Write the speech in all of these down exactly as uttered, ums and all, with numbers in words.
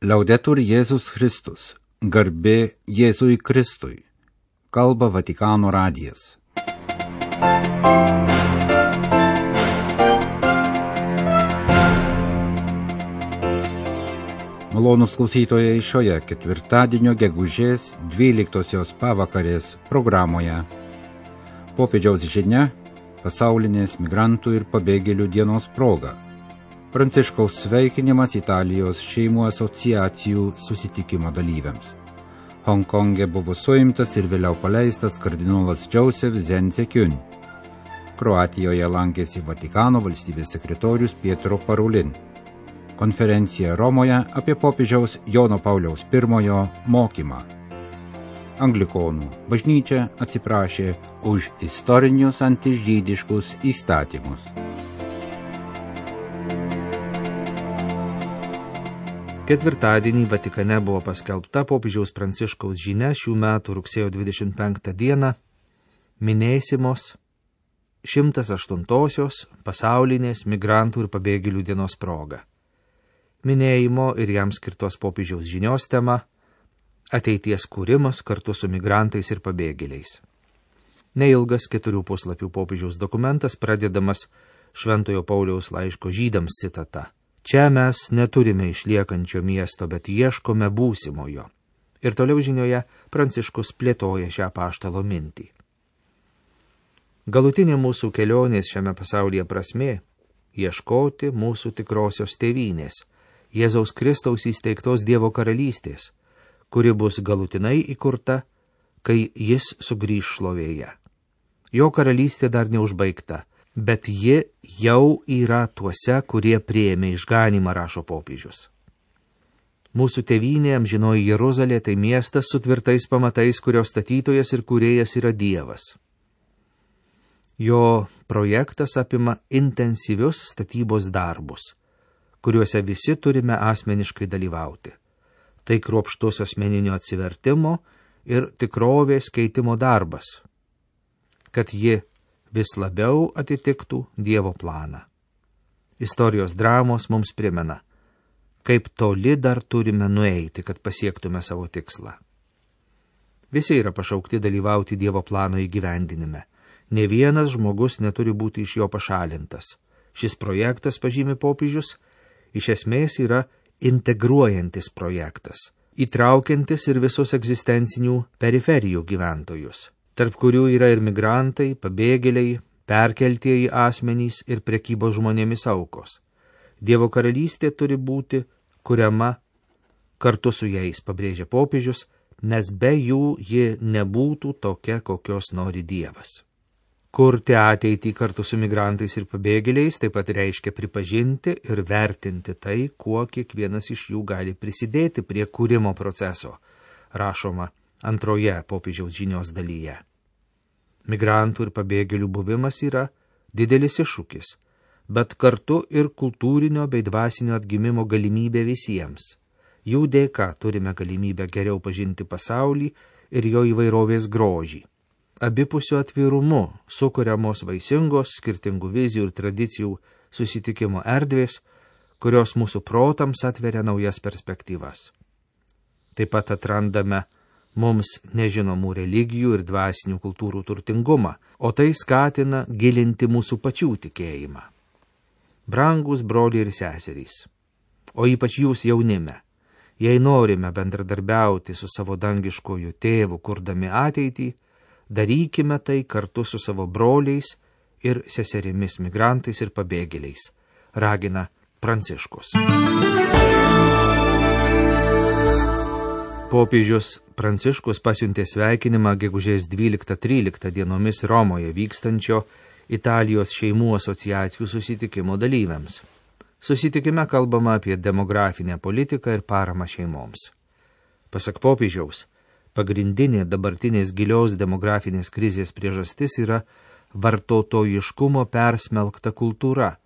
Laudetur Jėzus Kristus, garbė Jėzui Kristui, kalba Vatikano radijas. Malonūs klausytojai, šioje ketvirtadienio gegužės dvyliktosios pavakarės programoje popiežiaus žinia pasaulinės migrantų ir pabėgėlių dienos proga. Pranciškaus sveikinimas Italijos šeimų asociacijų susitikimo dalyviams. Honkonge buvo suimtas ir vėliau paleistas kardinolas Joseph Zenzekiun. Kroatijoje lankėsi Vatikano valstybės sekretorius Pietro Parolin. Konferencija Romoje apie popiežiaus Jono Pauliaus pirmojo mokymą. Anglikonų bažnyčia atsiprašė už istorinius antižydiškus įstatymus. Ketvirtadienį Vatikane buvo paskelbta popiežiaus Pranciškaus žinia šių metų rugsėjo dvidešimt penktą dieną minėsimos šimtas aštuntosios pasaulinės migrantų ir pabėgėlių dienos proga. Minėjimo ir jam skirtos popiežiaus žinios tema – ateities kūrimas kartu su migrantais ir pabėgėliais. Neilgas keturių puslapių popiežiaus dokumentas pradedamas Šventojo Pauliaus laiško žydams citata. Čia mes neturime išliekančio miesto, bet ieškome būsimojo. Ir toliau žinioje Pranciškus plėtoja šią apaštalo mintį. Galutinė mūsų kelionės šiame pasaulyje prasmė – ieškoti mūsų tikrosios tėvynės, Jėzaus Kristaus įsteigtos Dievo karalystės, kuri bus galutinai įkurta, kai jis sugrįš šlovėje. Jo karalystė dar neužbaigta, bet ji jau yra tuose, kurie priėmė išganymą, rašo popiežius. Mūsų tėvynė amžinoji Jeruzalė tai miestas su tvirtais pamatais, kurio statytojas ir kūrėjas yra Dievas. Jo projektas apima intensyvius statybos darbus, kuriuose visi turime asmeniškai dalyvauti. Tai kruopštus asmeninio atsivertimo ir tikrovės keitimo darbas, kad ji vis labiau atitiktų Dievo planą. Istorijos dramos mums primena, kaip toli dar turime nueiti, kad pasiektume savo tikslą. Visi yra pašaukti dalyvauti Dievo plano įgyvendinime. Ne vienas žmogus neturi būti iš jo pašalintas. Šis projektas, pažymi popiežius, iš esmės yra integruojantis projektas, įtraukiantis ir visus egzistencinių periferijų gyventojus, tarp kurių yra ir migrantai, pabėgėliai, perkeltieji asmenys ir prekybos žmonėmis aukos. Dievo karalystė turi būti kuriama kartu su jais, pabrėžia popiežius, nes be jų ji nebūtų tokia, kokios nori Dievas. Kurti ateitį kartu su migrantais ir pabėgėliais taip pat reiškia pripažinti ir vertinti tai, kuo kiekvienas iš jų gali prisidėti prie kūrimo proceso, rašoma antroje popiežiaus žinios dalyje. Migrantų ir pabėgėlių buvimas yra didelis iššūkis, bet kartu ir kultūrinio bei dvasinio atgimimo galimybė visiems. Jų dėka turime galimybę geriau pažinti pasaulį ir jo įvairovės grožį. Abipusio atvirumu sukuriamos vaisingos, skirtingų vizijų ir tradicijų susitikimo erdvės, kurios mūsų protams atveria naujas perspektyvas. Taip pat atrandame mums nežinomų religijų ir dvasinių kultūrų turtingumą, o tai skatina gilinti mūsų pačių tikėjimą. Brangūs broliai ir seserys, o ypač jūs jaunime, jei norime bendradarbiauti su savo dangiškoju tėvu, kurdami ateitį, darykime tai kartu su savo broliais ir seserimis migrantais ir pabėgėliais, ragina Pranciškus. Popiežius Pranciškus pasiuntė sveikinimą gegužės dvyliktą tryliktą dienomis Romoje vykstančio Italijos šeimų asociacijų susitikimo dalyviams. Susitikime kalbama apie demografinę politiką ir paramą šeimoms. Pasak popiežiaus, pagrindinė dabartinės gilios demografinės krizės priežastis yra vartotojiškumo persmelkta kultūra,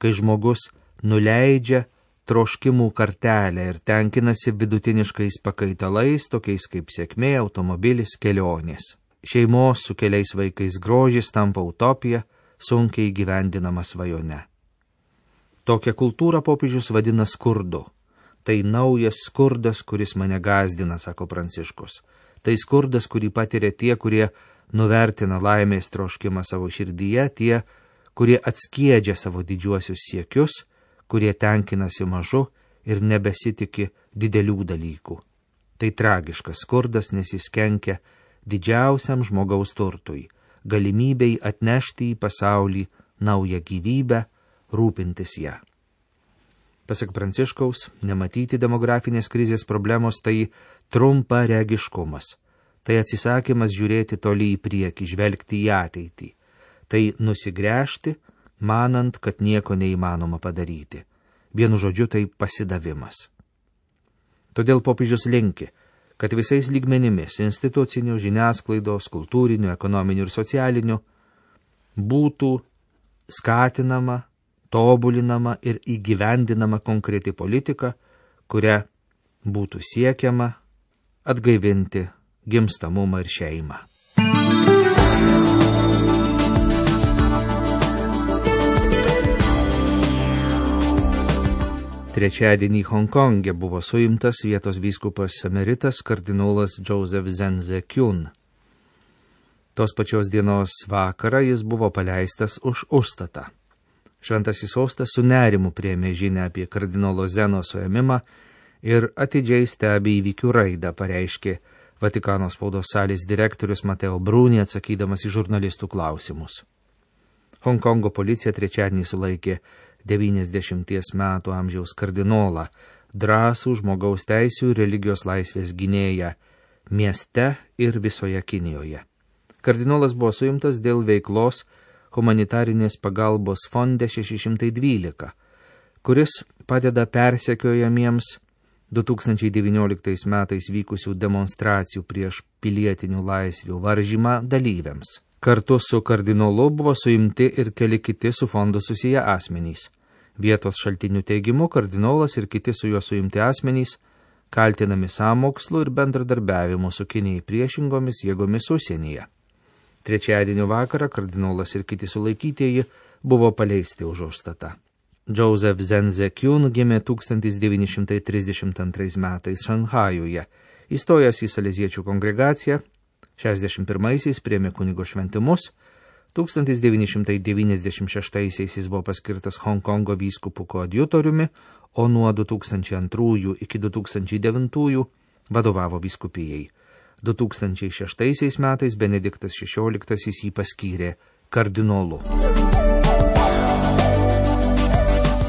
kai žmogus nuleidžia troškimų kartelę ir tenkinasi vidutiniškais pakaitalais, tokiais kaip sėkmė, automobilis, kelionės. Šeimos su keliais vaikais grožis tampa utopija, sunkiai įgyvendinama svajone. Tokią kultūrą popiežius vadina skurdu. Tai naujas skurdas, kuris mane gazdina, sako Pranciškus. Tai skurdas, kurį patiria tie, kurie nuvertina laimės troškimą savo širdyje, tie, kurie atskiedžia savo didžiuosius siekius, kurie tenkinasi mažu ir nebesitiki didelių dalykų. Tai tragiškas skurdas, nes jis kenkia didžiausiam žmogaus turtui, galimybei atnešti į pasaulį naują gyvybę, rūpintis ją. Pasak Pranciškaus, nematyti demografinės krizės problemos tai trumparegiškumas. Tai atsisakymas žiūrėti toli į priekį, žvelgti į ateitį. Tai nusigręžti, manant, kad nieko neįmanoma padaryti. Vienu žodžiu, tai pasidavimas. Todėl popiežius linki, kad visais lygmenimis – institucinių, žiniasklaidos, kultūrinių, ekonominių ir socialinių – būtų skatinama, tobulinama ir įgyvendinama konkreti politika, kuria būtų siekiama atgaivinti gimstamumą ir šeimą. Trečiadienį Honkonge buvo suimtas vietos vyskupas emeritas kardinolas Joseph Zenze Kyun. Tos pačios dienos vakarą jis buvo paleistas už užstatą. Šventasis sostas su nerimu priėmė žinią apie kardinolo Zeno suėmimą ir atidžiai stebi įvykių raidą, pareiškė Vatikano spaudos salės direktorius Mateo Bruni, atsakydamas į žurnalistų klausimus. Honkongo policija trečiadienį sulaikė devyniasdešimties metų amžiaus kardinolą, drąsų žmogaus teisių ir religijos laisvės gynėją mieste ir visoje Kinijoje. Kardinolas buvo suimtas dėl veiklos humanitarinės pagalbos fonde šeši šimtai dvylika, kuris padeda persekiojamiems du tūkstančiai devynioliktais metais vykusių demonstracijų prieš pilietinių laisvių varžymą dalyviams. Kartu su kardinolu buvo suimti ir keli kiti su fondu susiję asmenys. Vietos šaltinių teigimu, kardinolas ir kiti su juo suimti asmenys kaltinami sąmokslu ir bendradarbiavimu su Kinijai priešingomis jėgomis užsienyje. Trečiadienio vakarą kardinolas ir kiti sulaikytieji buvo paleisti už užstatą. Joseph Zenze Kyun gimė tūkstantis devyni šimtai trisdešimt antrais metais Šanchajuje, įstojęs į saleziečių kongregaciją, šešiasdešimt pirmaisiais priėmė kunigo šventimus, tūkstantis devyni šimtai devyniasdešimt šeštaisiais jis buvo paskirtas Honkongo vyskupų koadjutoriumi, o nuo du tūkstančiai antrųjų iki du tūkstančiai devintųjų vadovavo vyskupijai. du tūkstančiai šeštaisiais metais Benediktas šešioliktasis jį paskyrė kardinolu.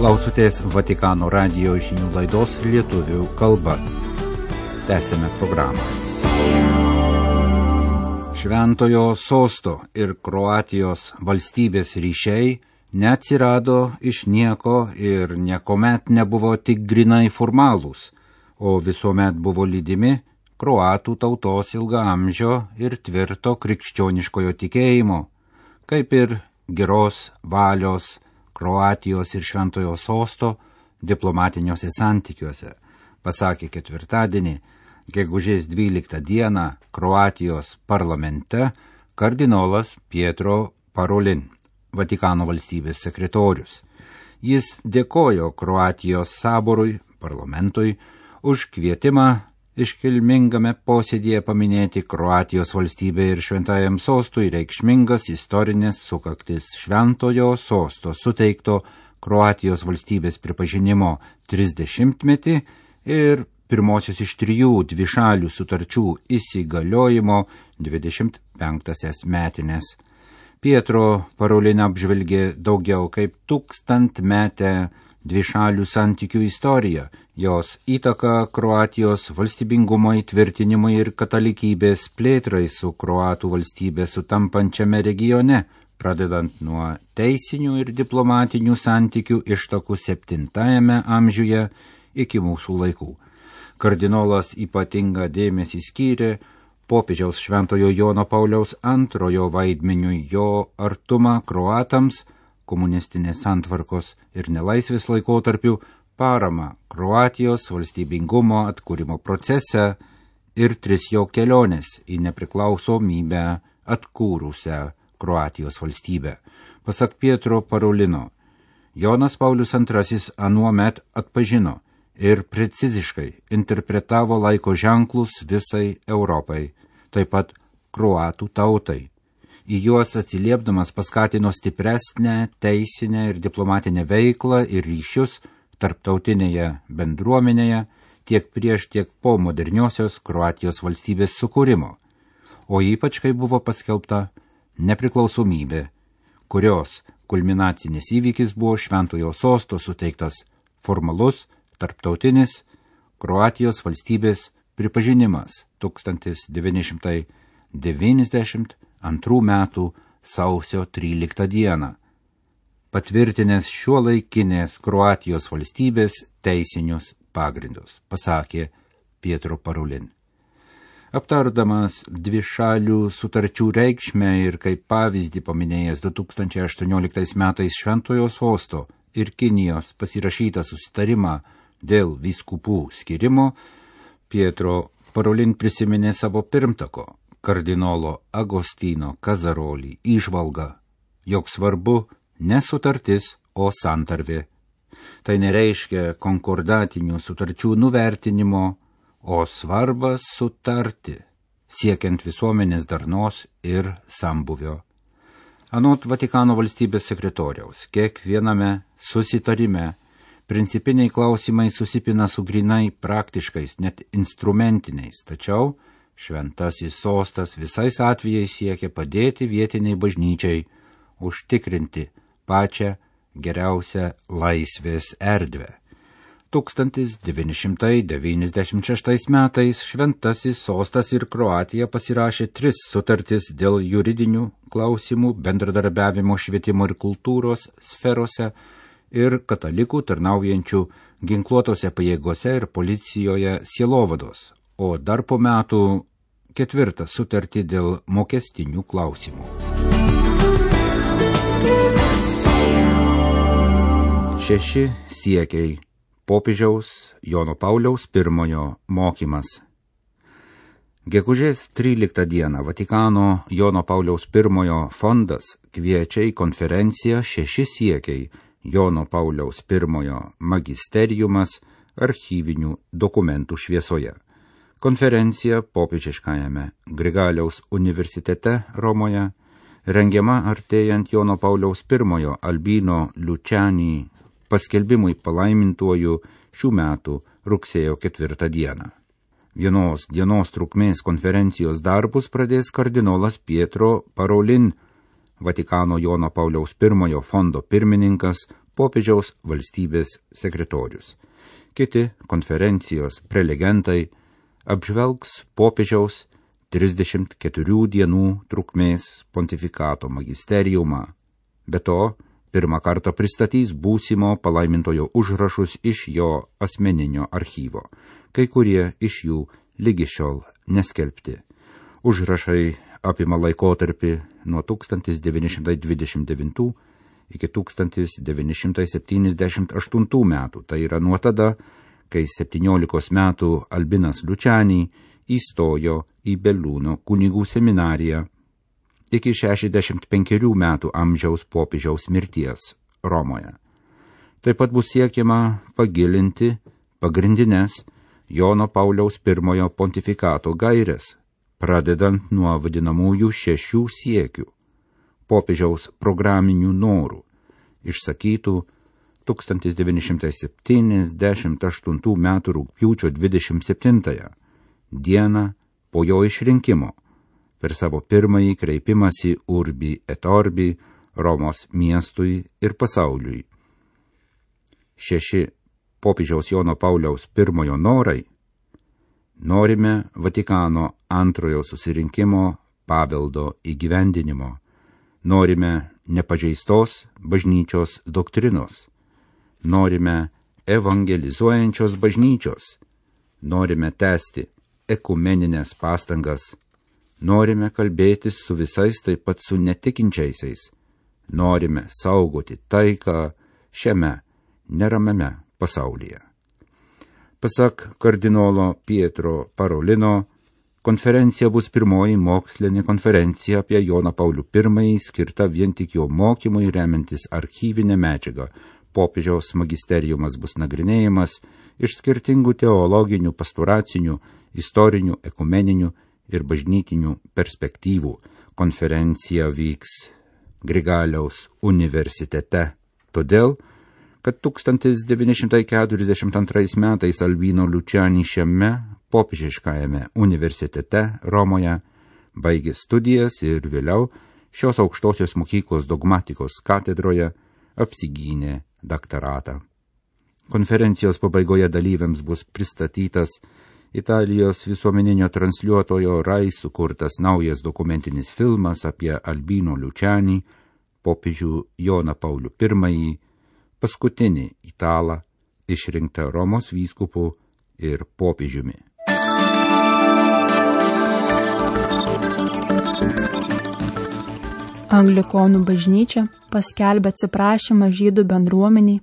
Klausotės Vatikano radijo žinių laidos lietuvių kalba. Tęsime programą. Šventojo sosto ir Kroatijos valstybės ryšiai neatsirado iš nieko ir niekuomet nebuvo tik grinai formalūs, o visuomet buvo lydimi kroatų tautos ilgaamžio ir tvirto krikščioniškojo tikėjimo, kaip ir geros valios Kroatijos ir Šventojo sosto diplomatiniuose santykiuose, pasakė ketvirtadienį, gegužės dvyliktą dieną Kroatijos parlamente kardinolas Pietro Parolin, Vatikano valstybės sekretorius. Jis dėkojo Kroatijos saborui, parlamentui, už kvietimą iškilmingame posėdėje paminėti Kroatijos valstybė ir Šventajam sostui reikšmingas istorinės sukaktis Šventojo sosto suteikto Kroatijos valstybės pripažinimo trisdešimtmetį ir pirmosios iš trijų dvišalių sutarčių įsigaliojimo dvidešimt penktąsias metinės. Pietro Parolin apžvelgė daugiau kaip tūkstantmetę dvišalių santykių istoriją, jos įtaka Kroatijos valstybingumo įtvirtinimui ir katalikybės plėtrai su kroatų valstybė sutampančiame regione, pradedant nuo teisinių ir diplomatinių santykių ištakų septintajame amžiuje iki mūsų laikų. Kardinolas ypatingą dėmesį skyrė popiežiaus Šventojo Jono Pauliaus antrojo vaidmeniui jo artumą kroatams, komunistinės santvarkos ir nelaisvės laikotarpių, paramą Kroatijos valstybingumo atkūrimo procese ir tris jo kelionės į nepriklausomybę atkūrusią Kroatijos valstybę. Pasak Pietro Parolino, Jonas Paulius antrasis anuomet atpažino, ir preciziškai interpretavo laiko ženklus visai Europai, taip pat kroatų tautai. Į juos atsiliepdamas paskatino stipresnę teisinę ir diplomatinę veiklą ir ryšius tarptautinėje bendruomenėje tiek prieš, tiek po moderniosios Kroatijos valstybės sukūrimo, o ypač kai buvo paskelbta nepriklausomybė, kurios kulminacinis įvykis buvo Šventojo sosto suteiktas formalus tarptautinis Kroatijos valstybės pripažinimas tūkstantis devyni šimtai devyniasdešimt antrų metų sausio tryliktą dieną, patvirtinęs šiuolaikinės Kroatijos valstybės teisinius pagrindus, pasakė Pietro Parolin. Aptardamas dvišalių sutarčių reikšmę ir kaip pavyzdį paminėjęs du tūkstančiai aštuonioliktais metais Šventojo sosto ir Kinijos pasirašytą susitarimą dėl vyskupų skirimo, Pietro Parolin prisiminė savo pirmtako, kardinolo Agostino Kazarolį įžvalgą, jog svarbu ne sutartis, o santarvė. Tai nereiškia konkordatinių sutarčių nuvertinimo, o svarbas sutarti, siekiant visuomenės darnos ir sambuvio. Anot Vatikano valstybės sekretoriaus, kiekviename susitarime principiniai klausimai susipina su grinai praktiškais, net instrumentiniais, tačiau Šventasis sostas visais atvejais siekia padėti vietiniai bažnyčiai užtikrinti pačią geriausią laisvės erdvę. tūkstantis devyni šimtai devyniasdešimt šeštais metais Šventasis sostas ir Kroatija pasirašė tris sutartis dėl juridinių klausimų bendradarbiavimo švietimo ir kultūros sferose ir katalikų tarnaujančių ginkluotose pajėgose ir policijoje sielovados, o dar po metų ketvirtą sutartį dėl mokestinių klausimų. Šeši siekiai. Popiežiaus Jono Pauliaus pirmojo mokymas. Gegužės tryliktą dieną Vatikano Jono Pauliaus pirmojo fondas kviečia į konferenciją Šeši siekiai Jono Pauliaus pirmojo magisteriumas archyvinių dokumentų šviesoje. Konferencija popiežiškajame Grigaliaus universitete Romoje rengiama artėjant Jono Pauliaus pirmojo Albino Luciani paskelbimui palaimintuoju šių metų rugsėjo ketvirtą dieną. Vienos dienos trukmės konferencijos darbus pradės kardinolas Pietro Parolin, Vatikano Jono Pauliaus pirmojo fondo pirmininkas, popiežiaus valstybės sekretorius. Kiti konferencijos prelegentai apžvelgs popiežiaus trisdešimt keturių dienų trukmės pontifikato magisteriumą. Be to, pirmą kartą pristatys būsimo palaimintojo užrašus iš jo asmeninio archyvo, kai kurie iš jų lygi šiol neskelbti. Užrašai apima laikotarpį nuo tūkstantis devyni šimtai dvidešimt devintų iki tūkstantis devyni šimtai septyniasdešimt aštuntų metų, tai yra nuo tada, kai septyniolikos metų Albinas Luciani įstojo į Belluno kunigų seminariją, iki šešiasdešimt penkerių metų amžiaus popiežiaus mirties Romoje. Taip pat bus siekiama pagilinti pagrindinės Jono Pauliaus pirmojo pontifikato gaires, pradedant nuo vadinamųjų šešių siekių, popiežiaus programinių norų, išsakytų tūkstantis devyni šimtai septyniasdešimt aštuntų metų rugpjūčio dvidešimt septintąją dieną po jo išrinkimo per savo pirmąjį kreipimąsi Urbi et Orbi Romos miestui ir pasauliui. Šeši popiežiaus Jono Pauliaus pirmojo norai. Norime Vatikano antrojo susirinkimo paveldo įgyvendinimo. Norime nepažeistos bažnyčios doktrinos. Norime evangelizuojančios bažnyčios. Norime tęsti ekumeninės pastangas. Norime kalbėtis su visais, taip pat su netikinčiaisiais. Norime saugoti taiką šiame neramiame pasaulyje. Pasak kardinolo Pietro Parolino, konferencija bus pirmoji mokslinė konferencija apie Joną Paulių pirmąjį skirta vien tik jo mokymui remiantis archyvinę medžiagą, popiežiaus magisteriumas bus nagrinėjimas iš skirtingų teologinių, pastoracinių, istorinių, ekumeninių ir bažnytinių perspektyvų. Konferencija vyks Grigaliaus universitete, todėl, kad tūkstantis devyni šimtai keturiasdešimt antrais metais Albino Luciani šiame popiežiškajame universitete Romoje baigė studijas ir vėliau šios aukštosios mokyklos dogmatikos katedroje apsigynė daktaratą. Konferencijos pabaigoje dalyviams bus pristatytas Italijos visuomeninio transliuotojo Rai sukurtas naujas dokumentinis filmas apie Albino Luciani, popiežių Joną Paulių pirmąjį, paskutinį italą išrinktą Romos vyskupu ir popiežiumi. Anglikonų bažnyčia paskelbė atsiprašymą žydų bendruomeniai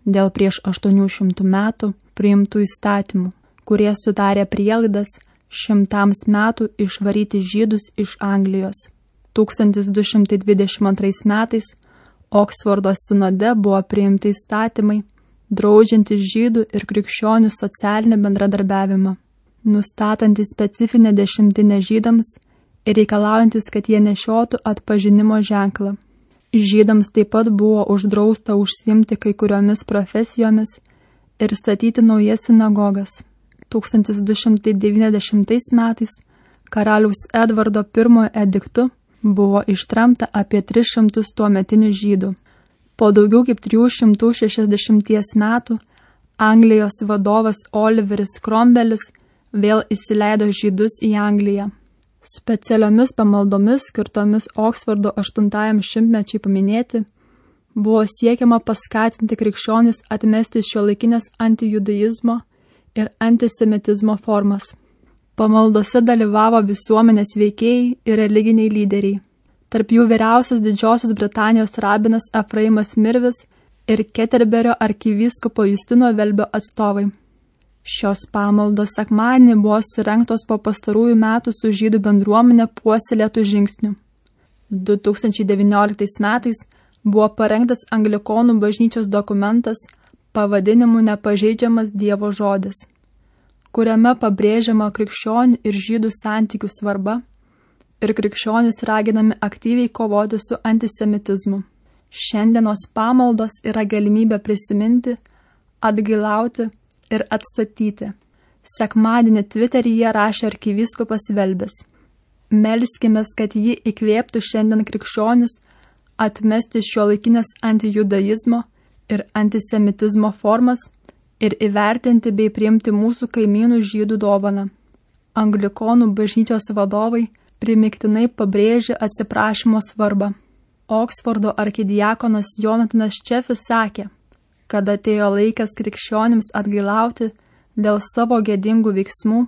dėl prieš aštuonių šimtų metų priimtų įstatymų, kurie sudarė prielaidas šimtams metų išvaryti žydus iš Anglijos. tūkstantis du šimtai dvidešimt antrais metais Oksfordo sinode buvo priimti įstatymai, draudžiantys žydų ir krikščionių socialinį bendradarbiavimą, nustatantys specifinę dešimtinę žydams ir reikalaujantis, kad jie nešiotų atpažinimo ženklą. Žydams taip pat buvo uždrausta užsiimti kai kuriomis profesijomis ir statyti naujas sinagogas. tūkstantis du šimtai devyniasdešimtais metais karaliaus Edvardo pirmojo ediktu buvo ištremta apie tris šimtus tuometinių žydų. Po daugiau kaip trijų šimtų šešiasdešimties metų Anglijos vadovas Oliveris Cromwellis vėl įsileido žydus į Angliją. Specialiomis pamaldomis skirtomis Oksfordo aštuntajam šimtmečiui paminėti buvo siekiama paskatinti krikščionis atmesti šiuolaikinės antijudaizmo ir antisemitizmo formas. Pamaldose dalyvavo visuomenės veikėjai ir religiniai lyderiai. Tarp jų vyriausias Didžiosios Britanijos rabinas Efraimas Mirvis ir Keterberio arkivyskupo Justino Velbio atstovai. Šios pamaldos sekmadienį buvo surengtos po pastarųjų metų su žydų bendruomenė puoselėtų žingsnių. du tūkstančiai devynioliktais metais buvo parengtas Anglikonų bažnyčios dokumentas pavadinimu Nepažeidžiamas Dievo žodis, kuriame pabrėžiama krikščionių ir žydų santykių svarba ir krikščionys raginami aktyviai kovoti su antisemitizmu. Šiandienos pamaldos yra galimybė prisiminti, atgailauti ir atstatyti. Sekmadienį Twitteryje rašė arkivyskupas Velbis. Melskimės, kad ji įkvėptų šiandien krikščionis atmesti šiuolaikinės antijudaizmo ir antisemitizmo formas ir įvertinti bei priimti mūsų kaimynų žydų dovaną. Anglikonų bažnyčios vadovai primiktinai pabrėžė atsiprašymo svarbą. Oksfordo arkidiakonas Jonatanas Čefis sakė, kad atėjo laikas krikščionims atgailauti dėl savo gėdingų veiksmų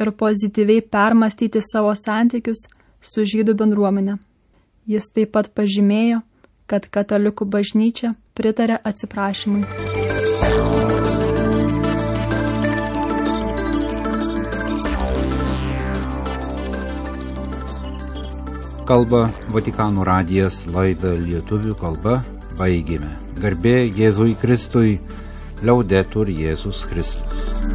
ir pozityviai permastyti savo santykius su žydų bendruomenė. Jis taip pat pažymėjo, kad katalikų bažnyčia pritarė atsiprašymui. Kalba Vatikano radijas, laidą lietuvių kalba baigėme. Garbė Jėzui Kristui, Laudetur Jėzus Kristus.